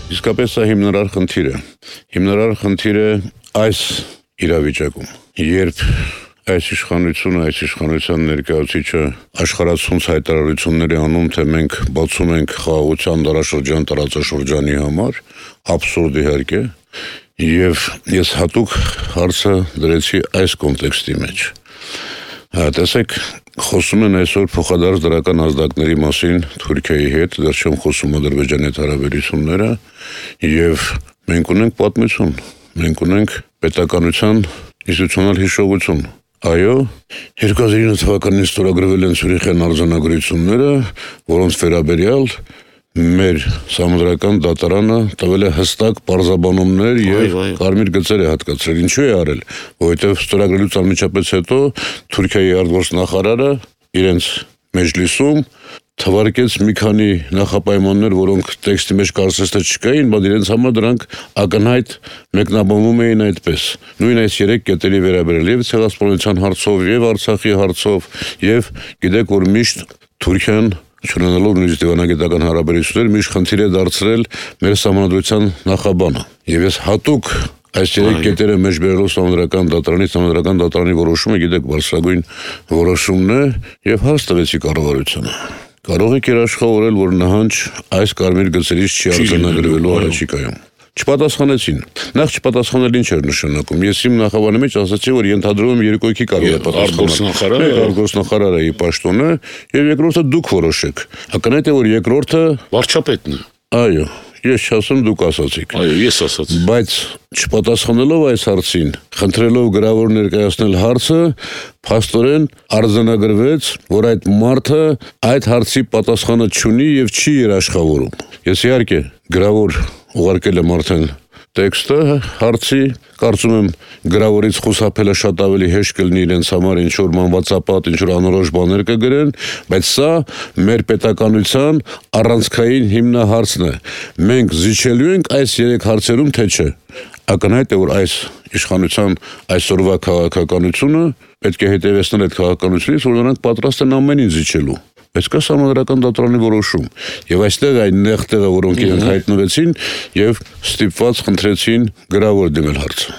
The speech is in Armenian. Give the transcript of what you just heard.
Իսկապես սա հիմնարար խնդիր է։ Հիմնարար խնդիր է այս իրավիճակում, երբ այս իշխանությունը, այս իշխանության ներկայացուցիչը աշխարհացունց հայտարարություններ է անում, թե մենք բացում ենք խաղաղության դարաշրջան տարածաշրջանի համար, աբսուրդ իհարկե, եւ ես հատուկ հարցը դրեցի այս կոնտեքստի մեջ։ Տեսեք, խոսում են այսօր փոխադարձ դրական ազդակների մասին Թուրքիայի հետ, դեռ չեմ խոսում Ադրբեջանի հետ հարաբերությունները, եւ մենք ունենք պատմություն, մենք ունենք պետականության ինստիտուցիոնալ հիշողություն։ Այո, 2009 թվականին ստորագրվել են Ցյուրիխյան արձանագրությունները, որոնց վերաբերյալ մեր սահմանադրական դատարանը տվել է հստակ պարզաբանումներ եւ կարմիր գծեր է հատկացրել։ Ինչու է արել, որովհետեւ ստորագրելուց անմիջապես հետո Թուրքիայի արտգործնախարարը իրենց մեջլիսում թվարկեց մի քանի նախապայմաններ, որոնք տեքստի մեջ կարծես թե չկային, բայց իրենց համար դրանք ակնհայտ մեկնաբանվում էին այդպես։ Նույն այս 3 կետերի վերաբերյալ եւ ցեղասպանության հարցով, եւ Արցախի հարցով, եւ գիտեք, որ միշտ Թուրքիան չունենալով նույնիսկ դիվանագիտական հարաբերություններ միշտ խնդիր է դարձրել մեր սահմանադրության նախաբանը։ Եվ ես հատուկ այս 3 կետերը մեջ բերելով սահմանադրական դատարանի որոշումը, գիտեք, բարձրագույն որոշումն է եւ հաս տվեցի կառավարությունը։ Կարող եք երաշխավորել, որ նահանջ այս կարմիր գծերից չի արձանագրվելու առաջիկայում։ Չպատասխանեցին։ Նախ չպատասխանել ինչ էր նշանակում։ Ես իմ նախաբանի մեջ ասացի, որ ենթադրում եմ երկու հոգի կարող է պատասխանել։ Արտգործնախարարը ի պաշտոնը եւ երկրորդը դուք որոշեք։ Ակնհայտ է, որ երկրորդը վարչապետն է։ Այո, ես չասեմ, դուք ասացիք։ Այո, ես ասացի։ Բայց չպատասխանելով այս հարցին, խնդրելով գրավոր ներկայացնել հարցը, փաստորեն արձանագրվեց, որ այդ մարդը այդ հարցի պատասխանը չունի եւ չի երաշխավորում։ Ես իհարկե գրավոր ուղարկել եմ արդեն տեքստը հարցի, կարծում եմ գրավորից խուսափելը շատ ավելի հեշտ կլինի իրենց համար, ինչ որ մանվածապատ, ինչ որ անորոշ բաներ կգրեն, բայց սա մեր պետականության առանցքային հիմնահարցն է։ Մենք զիջելու ենք այս 3 հարցերում, թե չէ։ Ակնհայտ է, որ այս իշխանության այսօրվա քաղաքականությունը պետք է հետևեցնել այդ քաղաքականությունից, որ նրանք պատրաստ են ամեն ինչ զիջելու։ Բայց կա սահմանադրական դատարանի որոշում եւ այստեղ այն նեղ տեղը, որոնք իրենք հայտնվեցին եւ ստիպված խնդրեցին գրավոր դիմել հարցը։